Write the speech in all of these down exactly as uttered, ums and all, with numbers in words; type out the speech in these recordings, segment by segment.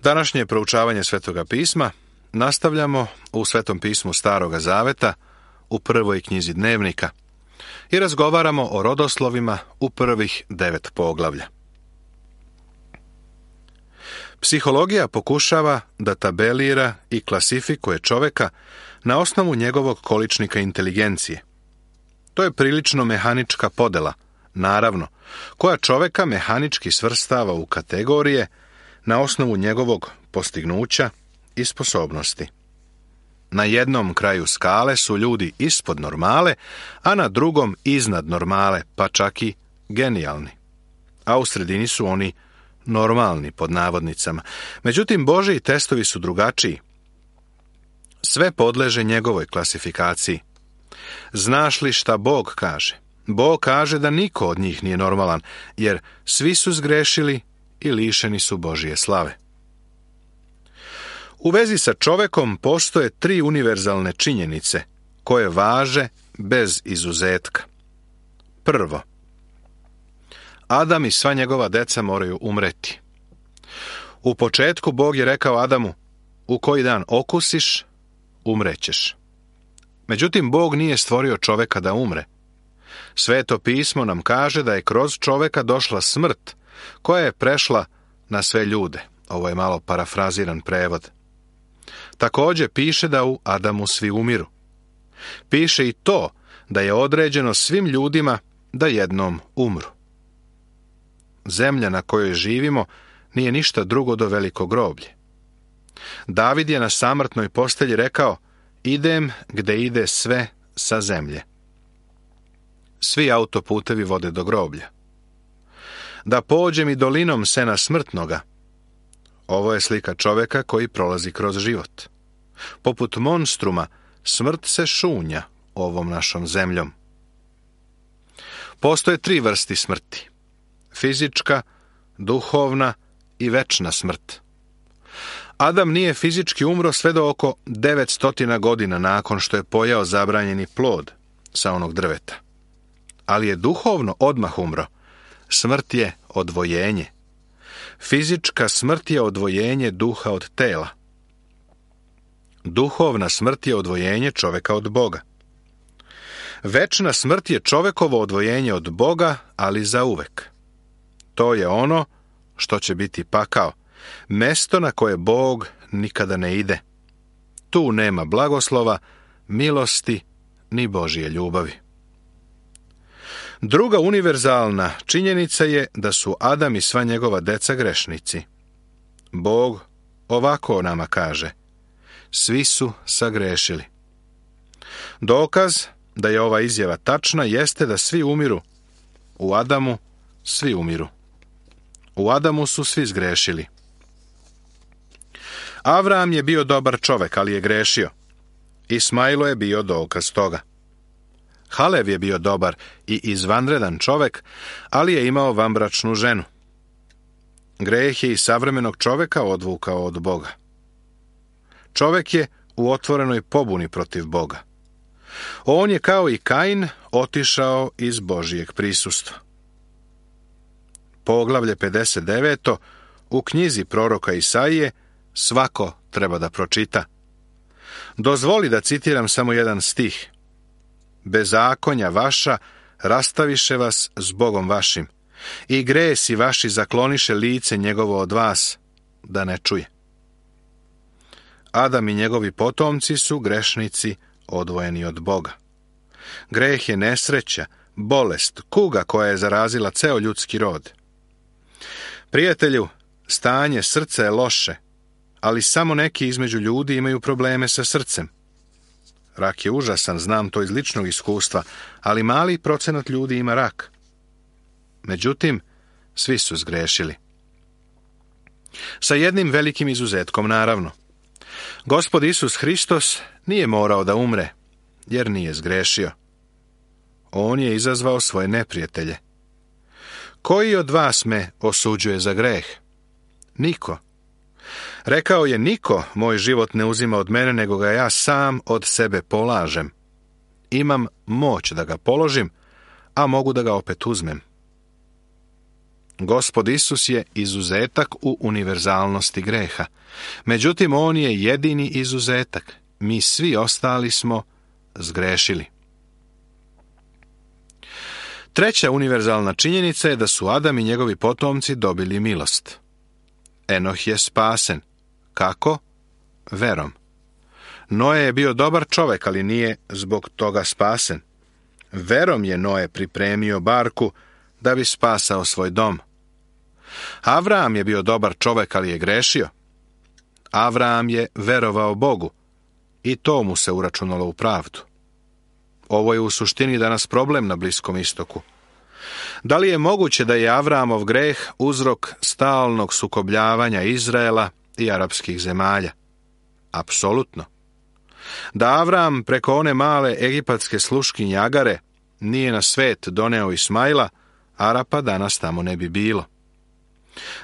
Današnje proučavanje Svetoga pisma nastavljamo u Svetom pismu Staroga Zaveta u prvoj knjizi Dnevnika i razgovaramo o rodoslovima u prvih devet poglavlja. Psihologija pokušava da tabelira i klasifikuje čoveka na osnovu njegovog količnika inteligencije. To je prilično mehanička podela, naravno, koja čoveka mehanički svrstava u kategorije na osnovu njegovog postignuća i sposobnosti. Na jednom kraju skale su ljudi ispod normale, a na drugom iznad normale, pa čak i genijalni. A u sredini su oni normalni, pod navodnicama. Međutim, Božji testovi su drugačiji. Sve podleže njegovoj klasifikaciji. Znaš li šta Bog kaže? Bog kaže da niko od njih nije normalan, jer svi su zgrešili i lišeni su Božje slave. U vezi sa čovekom postoje tri univerzalne činjenice koje važe bez izuzetka. Prvo, Adam i sva njegova deca moraju umreti. U početku Bog je rekao Adamu, u koji dan okusiš, umrećeš. Međutim, Bog nije stvorio čoveka da umre. Sveto pismo nam kaže da je kroz čoveka došla smrt, koja je prešla na sve ljude. Ovo je malo parafraziran prevod. Također piše da u Adamu svi umiru. Piše i to da je određeno svim ljudima da jednom umru. Zemlja na kojoj živimo nije ništa drugo do veliko groblje. David je na samrtnoj postelji rekao, idem gde ide sve sa zemlje. Svi autoputevi vode do groblja. Da pođem i dolinom sena smrtnoga. Ovo je slika čoveka koji prolazi kroz život. Poput monstruma, smrt se šunja ovom našom zemljom. Postoje tri vrsti smrti. Fizička, duhovna i večna smrt. Adam nije fizički umro sve do oko devetsto godina nakon što je pojeo zabranjeni plod sa onog drveta. Ali je duhovno odmah umro. Smrt je odvojenje. Fizička smrt je odvojenje duha od tela. Duhovna smrt je odvojenje čoveka od Boga. Večna smrt je čovekovo odvojenje od Boga, ali zauvek. To je ono što će biti pakao, mesto na koje Bog nikada ne ide. Tu nema blagoslova, milosti, ni Božje ljubavi. Druga univerzalna činjenica je da su Adam i sva njegova deca grešnici. Bog ovako nama kaže, svi su sagrešili. Dokaz da je ova izjava tačna jeste da svi umiru. U Adamu svi umiru. U Adamu su svi zgrešili. Avram je bio dobar čovek, ali je grešio. Ismailo je bio dokaz toga. Halev je bio dobar i izvanredan čovek, ali je imao vanbračnu ženu. Greh je i savremenog čoveka odvukao od Boga. Čovek je u otvorenoj pobuni protiv Boga. On je kao i Kain otišao iz Božijeg prisustva. Poglavlje pedeset devet. U knjizi proroka Isaije svako treba da pročita. Dozvoli da citiram samo jedan stih. Bezakonja vaša rastaviše vas s Bogom vašim i gresi vaši zakloniše lice njegovo od vas, da ne čuje. Adam i njegovi potomci su grešnici odvojeni od Boga. Greh je nesreća, bolest, kuga koja je zarazila ceo ljudski rod. Prijatelju, stanje srca je loše, ali samo neki između ljudi imaju probleme sa srcem. Rak je užasan, znam to iz ličnog iskustva, ali mali procenat ljudi ima rak. Međutim, svi su zgrešili. Sa jednim velikim izuzetkom, naravno. Gospod Isus Hristos nije morao da umre, jer nije zgrešio. On je izazvao svoje neprijatelje. Koji od vas me osuđuje za greh? Niko. Rekao je, niko moj život ne uzima od mene, nego ga ja sam od sebe polažem. Imam moć da ga položim, a mogu da ga opet uzmem. Gospod Isus je izuzetak u univerzalnosti greha. Međutim, on je jedini izuzetak. Mi svi ostali smo zgrešili. Treća univerzalna činjenica je da su Adam i njegovi potomci dobili milost. Enoh je spasen. Kako? Verom. Noe je bio dobar čovek, ali nije zbog toga spasen. Verom je Noe pripremio barku da bi spasao svoj dom. Avraam je bio dobar čovek, ali je grešio. Avraam je verovao Bogu i to mu se uračunalo u pravdu. Ovo je u suštini danas problem na Bliskom istoku. Da li je moguće da je Avraamov greh uzrok stalnog sukobljavanja Izraela i arapskih zemalja? Apsolutno. Da Avraam preko one male egipatske sluškinje Agare nije na svet doneo Ismaila, Arapa danas tamo ne bi bilo.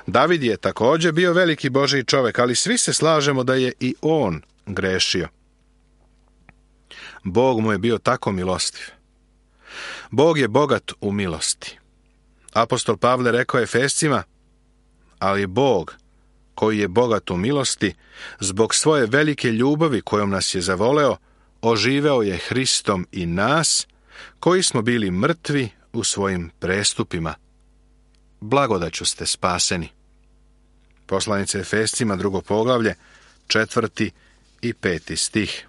David je također bio veliki Božji čovjek, ali svi se slažemo da je i on grešio. Bog mu je bio tako milostiv. Bog je bogat u milosti. Apostol Pavle rekao Efescima, ali Bog, koji je bogat u milosti, zbog svoje velike ljubavi kojom nas je zavoleo, oživeo je Hristom i nas, koji smo bili mrtvi u svojim prestupima. Blagodaću ste spaseni. Poslanica Efescima, drugo poglavlje, četvrti i peti stih.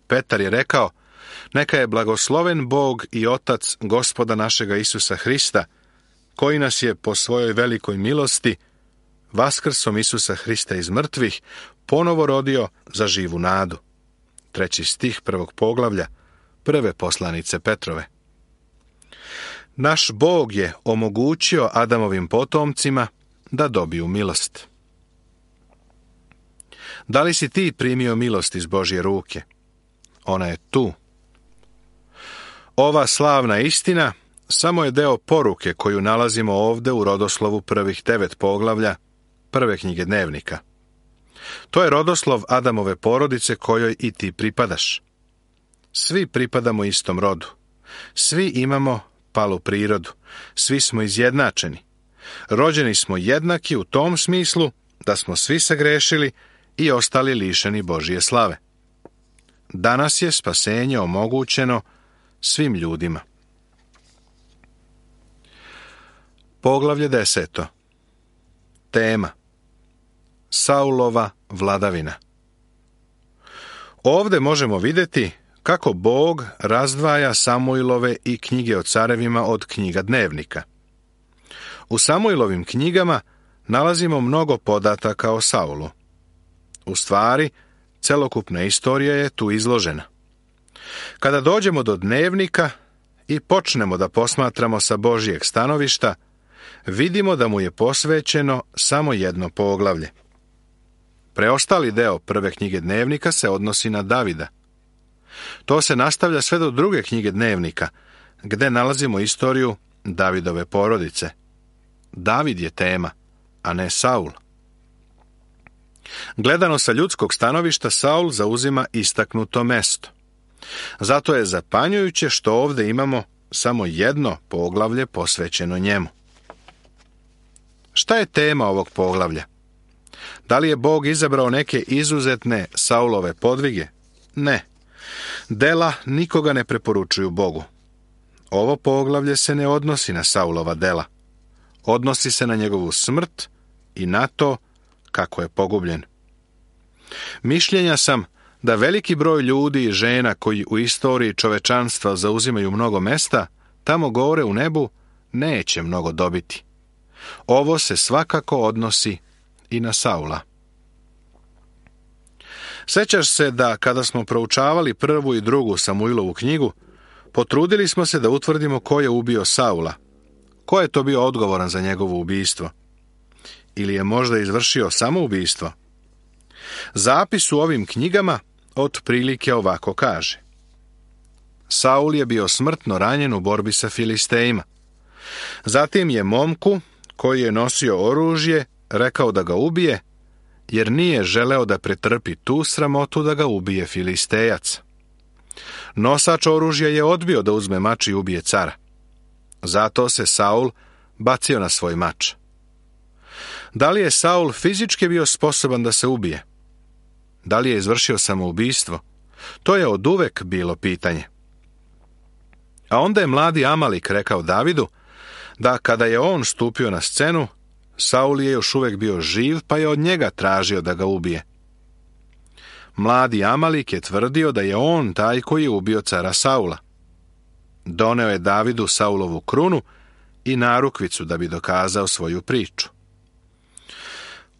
Petar je rekao, neka je blagosloven Bog i Otac Gospoda našega Isusa Hrista, koji nas je po svojoj velikoj milosti, vaskrsom Isusa Hrista iz mrtvih, ponovo rodio za živu nadu. Treći stih prvog poglavlja, prve poslanice Petrove. Naš Bog je omogućio Adamovim potomcima da dobiju milost. Da li si ti primio milost iz Božje ruke? Ona je tu. Ova slavna istina samo je deo poruke koju nalazimo ovde u rodoslovu prvih devet poglavlja prve knjige Dnevnika. To je rodoslov Adamove porodice kojoj i ti pripadaš. Svi pripadamo istom rodu. Svi imamo palu prirodu. Svi smo izjednačeni. Rođeni smo jednaki u tom smislu da smo svi sagrešili i ostali lišeni Božje slave. Danas je spasenje omogućeno svim ljudima. Poglavlje deseto. Tema. Saulova vladavina. Ovde možemo vidjeti kako Bog razdvaja Samuilove i knjige o carevima od knjiga Dnevnika. U Samuilovim knjigama nalazimo mnogo podataka o Saulu. U stvari, celokupna istorija je tu izložena. Kada dođemo do Dnevnika i počnemo da posmatramo sa Božjeg stanovišta, vidimo da mu je posvećeno samo jedno poglavlje. Preostali deo prve knjige Dnevnika se odnosi na Davida. To se nastavlja sve do druge knjige Dnevnika, gde nalazimo istoriju Davidove porodice. David je tema, a ne Saul. Gledano sa ljudskog stanovišta, Saul zauzima istaknuto mesto. Zato je zapanjujuće što ovde imamo samo jedno poglavlje posvećeno njemu. Šta je tema ovog poglavlja? Da li je Bog izabrao neke izuzetne Saulove podvige? Ne. Dela nikoga ne preporučuju Bogu. Ovo poglavlje se ne odnosi na Saulova dela. Odnosi se na njegovu smrt i na to kako je pogubljen. Mišljenja sam da veliki broj ljudi i žena koji u istoriji čovečanstva zauzimaju mnogo mesta, tamo gore u nebu neće mnogo dobiti. Ovo se svakako odnosi i na Saula. Sećaš se da kada smo proučavali prvu i drugu Samuilovu knjigu, potrudili smo se da utvrdimo ko je ubio Saula. Ko je to bio odgovoran za njegovo ubistvo? Ili je možda izvršio samoubistvo? Zapis u ovim knjigama otprilike ovako kaže. Saul je bio smrtno ranjen u borbi sa Filistejima. Zatim je momku, koji je nosio oružje, rekao da ga ubije, jer nije želeo da pretrpi tu sramotu da ga ubije Filistejac. Nosač oružja je odbio da uzme mač i ubije cara. Zato se Saul bacio na svoj mač. Da li je Saul fizički bio sposoban da se ubije? Da li je izvršio samoubistvo? To je oduvek bilo pitanje. A onda je mladi Amalik rekao Davidu da kada je on stupio na scenu, Saul je još uvijek bio živ, pa je od njega tražio da ga ubije. Mladi Amalik je tvrdio da je on taj koji je ubio cara Saula. Doneo je Davidu Saulovu krunu i narukvicu da bi dokazao svoju priču.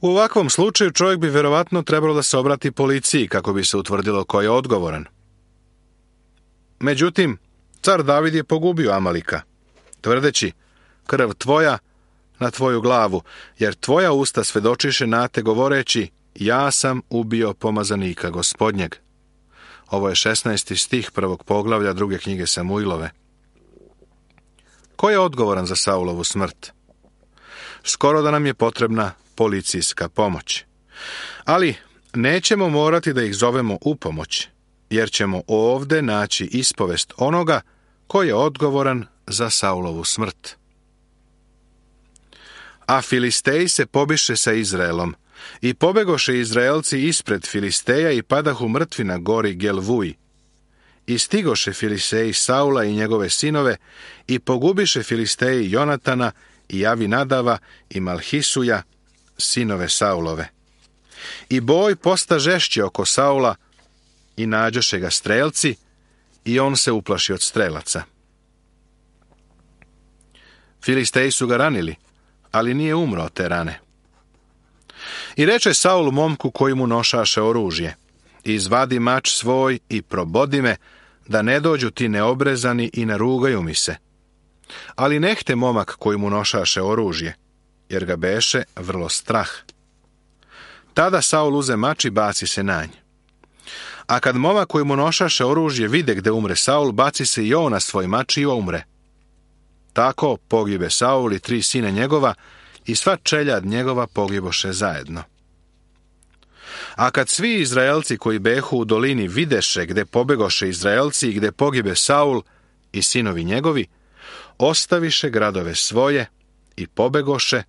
U ovakvom slučaju čovjek bi vjerovatno trebalo da se obrati policiji kako bi se utvrdilo ko je odgovoran. Međutim, car David je pogubio Amalika, tvrdeći: krv tvoja na tvoju glavu, jer tvoja usta svedočiše na te govoreći: ja sam ubio pomazanika Gospodnjeg. Ovo je šesnaesti stih prvog poglavlja druge knjige Samuilove. Ko je odgovoran za Saulovu smrt? Skoro da nam je potrebna policijska pomoć. Ali nećemo morati da ih zovemo u pomoć, jer ćemo ovde naći ispovest onoga ko je odgovoran za Saulovu smrt. A Filisteji se pobiše sa Izraelom, i pobegoše Izraelci ispred Filisteja i padahu mrtvi na gori Gelvuj. I stigoše Filisteji Saula i njegove sinove i pogubiše Filisteji Jonatana i Avinadava i Malhisuja, sinove Saulove. I boj posta žešći oko Saula i nađoše ga strelci i on se uplaši od strelaca. Filisteji su ga ranili, ali nije umro od te rane. I reče Saul momku koji mu nošaše oružje: izvadi mač svoj i probodi me, da ne dođu ti neobrezani i narugaju mi se. Ali nehte momak koji mu nošaše oružje, jer ga beše vrlo strah. Tada Saul uze mač i baci se na nj. A kad momak koji mu nošaše oružje vide gde umre Saul, baci se i on na svoj mač i umre. Tako pogibe Saul i tri sina njegova, i sva čeljad njegova pogiboše zajedno. A kad svi Izraelci koji behu u dolini videše gde pobegoše Izraelci i gde pogibe Saul i sinovi njegovi, ostaviše gradove svoje i pobegoše,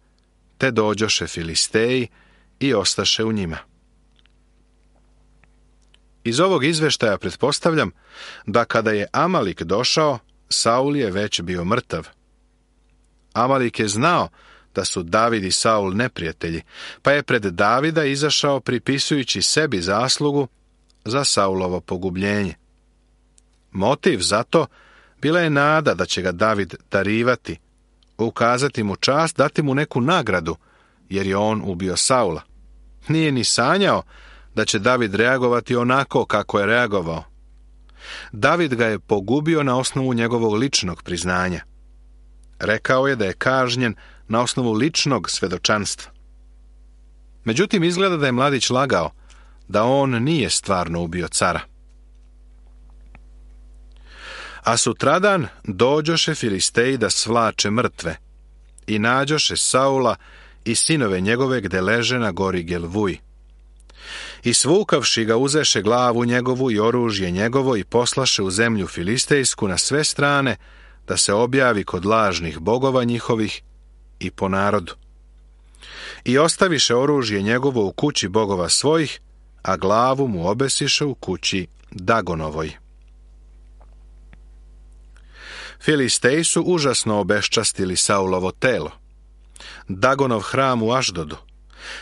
te dođoše Filisteji i ostaše u njima. Iz ovog izveštaja pretpostavljam da kada je Amalik došao, Saul je već bio mrtav. Amalik je znao da su David i Saul neprijatelji, pa je pred Davida izašao pripisujući sebi zaslugu za Saulovo pogubljenje. Motiv za to bila je nada da će ga David darivati, ukazati mu čast, dati mu neku nagradu, jer je on ubio Saula. Nije ni sanjao da će David reagovati onako kako je reagovao. David ga je pogubio na osnovu njegovog ličnog priznanja. Rekao je da je kažnjen na osnovu ličnog svedočanstva. Međutim, izgleda da je mladić lagao, da on nije stvarno ubio cara. A sutradan dođoše Filisteji da svlače mrtve i nađoše Saula i sinove njegove gde leže na gori Gelvuj. I svukavši ga uzeše glavu njegovu i oružje njegovo i poslaše u zemlju filistejsku na sve strane da se objavi kod lažnih bogova njihovih i po narodu. I ostaviše oružje njegovo u kući bogova svojih, a glavu mu obesiše u kući Dagonovoj. Filisteji su užasno obeščastili Saulovo telo. Dagonov hram u Aždodu.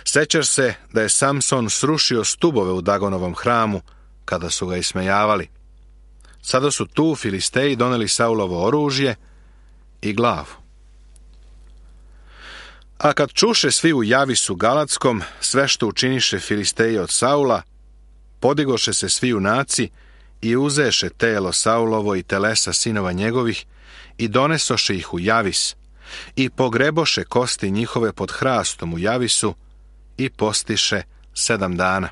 Sećaš se da je Samson srušio stubove u Dagonovom hramu kada su ga ismejavali. Sada su tu Filisteji doneli Saulovo oružje i glavu. A kad čuše svi u Javisu Galatskom sve što učiniše Filisteji od Saula, podigoše se svi junaci i uzeše telo Saulovo i telesa sinova njegovih i donesoše ih u Javis i pogreboše kosti njihove pod hrastom u Javisu i postiše sedam dana.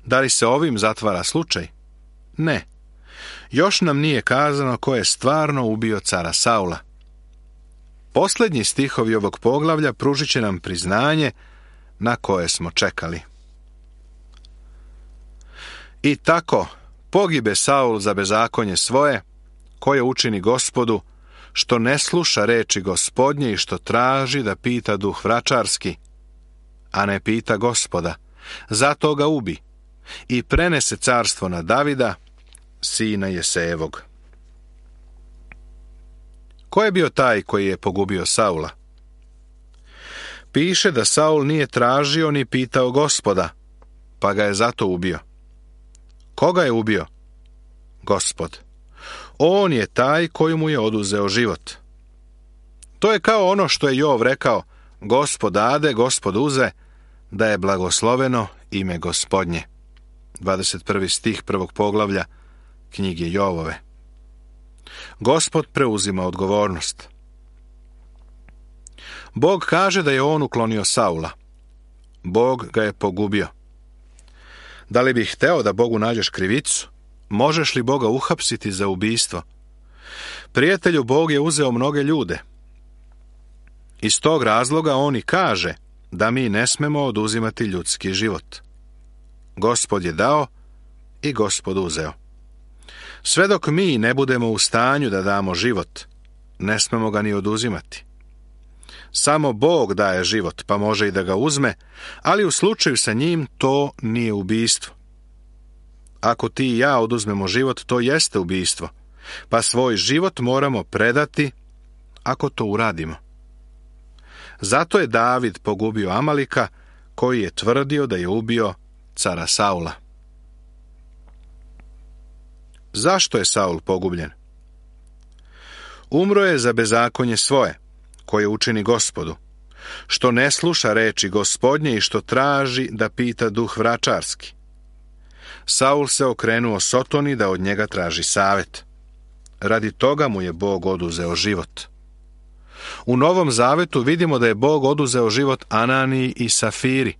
Da li se ovim zatvara slučaj? Ne. Još nam nije kazano ko je stvarno ubio cara Saula. Posljednji stihovi ovog poglavlja pružit će nam priznanje na koje smo čekali. I tako pogibe Saul za bezakonje svoje, koje učini Gospodu, što ne sluša reči Gospodnje i što traži da pita duh vračarski, a ne pita Gospoda, zato ga ubi i prenese carstvo na Davida, sina Jesejevog. Ko je bio taj koji je pogubio Saula? Piše da Saul nije tražio ni pitao Gospoda, pa ga je zato ubio. Koga je ubio? Gospod. On je taj koji mu je oduzeo život. To je kao ono što je Jov rekao, Gospod dade, Gospod uze, da je blagosloveno ime Gospodnje. dvadeset prvi stih prvog poglavlja knjige Jovove. Gospod preuzima odgovornost. Bog kaže da je on uklonio Saula. Bog ga je pogubio. Da li bih hteo da Bogu nađeš krivicu? Možeš li Boga uhapsiti za ubistvo? Prijatelju, Bog je uzeo mnoge ljude. Iz tog razloga on i kaže da mi ne smemo oduzimati ljudski život. Gospod je dao i Gospod uzeo. Sve dok mi ne budemo u stanju da damo život, ne smemo ga ni oduzimati. Samo Bog daje život, pa može i da ga uzme, ali u slučaju sa njim to nije ubistvo. Ako ti i ja oduzmemo život, to jeste ubistvo, pa svoj život moramo predati ako to uradimo. Zato je David pogubio Amalika, koji je tvrdio da je ubio cara Saula. Zašto je Saul pogubljen? Umro je za bezakonje svoje, koje učini Gospodu, što ne sluša reči Gospodnje i što traži da pita duh vračarski. Saul se okrenuo Sotoni da od njega traži savet. Radi toga mu je Bog oduzeo život. U Novom Zavetu vidimo da je Bog oduzeo život Ananiji i Safiri.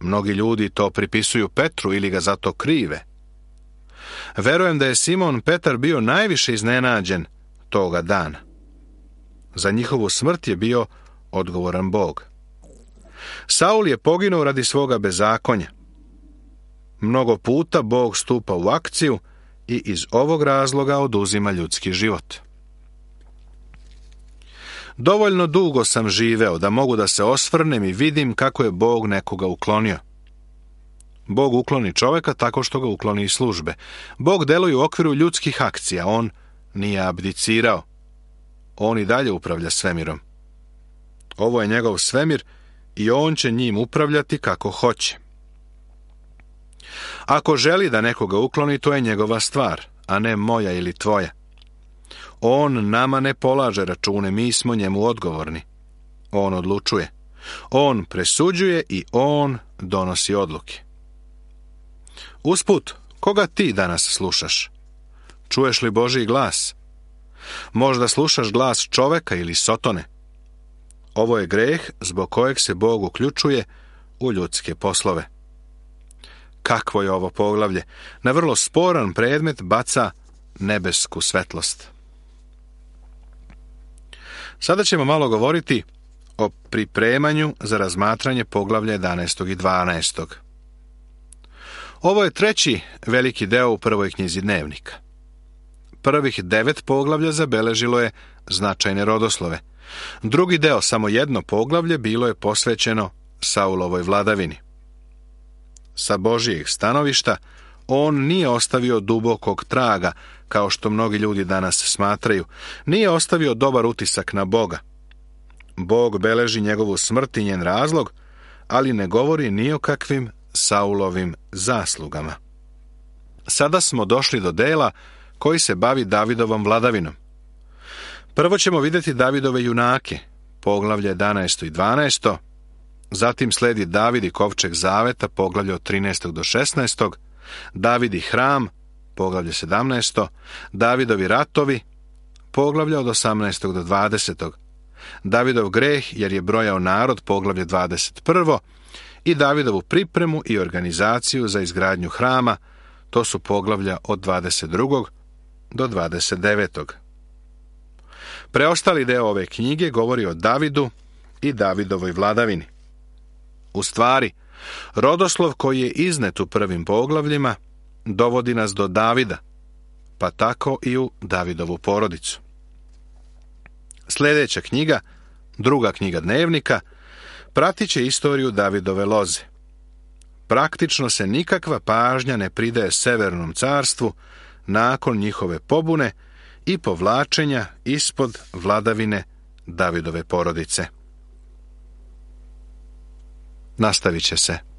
Mnogi ljudi to pripisuju Petru ili ga zato krive. Verujem da je Simon Petar bio najviše iznenađen toga dana. Za njihovu smrt je bio odgovoran Bog. Saul je poginuo radi svoga bezakonja. Mnogo puta Bog stupa u akciju i iz ovog razloga oduzima ljudski život. Dovoljno dugo sam živeo da mogu da se osvrnem i vidim kako je Bog nekoga uklonio. Bog ukloni čoveka tako što ga ukloni iz službe. Bog deluje u okviru ljudskih akcija, on nije abdicirao. On i dalje upravlja svemirom. Ovo je njegov svemir i on će njim upravljati kako hoće. Ako želi da nekoga ukloni, to je njegova stvar, a ne moja ili tvoja. On nama ne polaže račune, mi smo njemu odgovorni. On odlučuje. On presuđuje i on donosi odluke. Usput, koga ti danas slušaš? Čuješ li Božji glas? Možda slušaš glas čoveka ili Sotone. Ovo je greh zbog kojeg se Bog uključuje u ljudske poslove. Kakvo je ovo poglavlje? Na vrlo sporan predmet baca nebesku svetlost. Sada ćemo malo govoriti o pripremanju za razmatranje poglavlja jedanaestog i dvanaestog. Ovo je treći veliki deo u prvoj knjizi Dnevnika. Prvih devet poglavlja zabeležilo je značajne rodoslove. Drugi deo, samo jedno poglavlje, bilo je posvećeno Saulovoj vladavini. Sa Božijeg stanovišta, on nije ostavio dubokog traga, kao što mnogi ljudi danas smatraju. Nije ostavio dobar utisak na Boga. Bog beleži njegovu smrt i njen razlog, ali ne govori ni o kakvim Saulovim zaslugama. Sada smo došli do dela koji se bavi Davidovom vladavinom. Prvo ćemo vidjeti Davidove junake, poglavlje jedanaesto i dvanaesto, zatim sledi David i kovčeg zaveta, poglavlje od trinaestog do šesnaestog, David i hram, poglavlje sedamnaesto, Davidovi ratovi, poglavlje od osamnaestog do dvadesetog, Davidov greh jer je brojao narod, poglavlje dvadeset prvo, i Davidovu pripremu i organizaciju za izgradnju hrama, to su poglavlja od dvadeset drugog do dvadeset devetog. Preostali deo ove knjige govori o Davidu i Davidovoj vladavini. U stvari, rodoslov koji je iznet u prvim poglavljima dovodi nas do Davida, pa tako i u Davidovu porodicu. Sljedeća knjiga, druga knjiga dnevnika, pratit će istoriju Davidove loze. Praktično se nikakva pažnja ne pridaje Severnom carstvu nakon njihove pobune i povlačenja ispod vladavine Davidove porodice. Nastavit će se.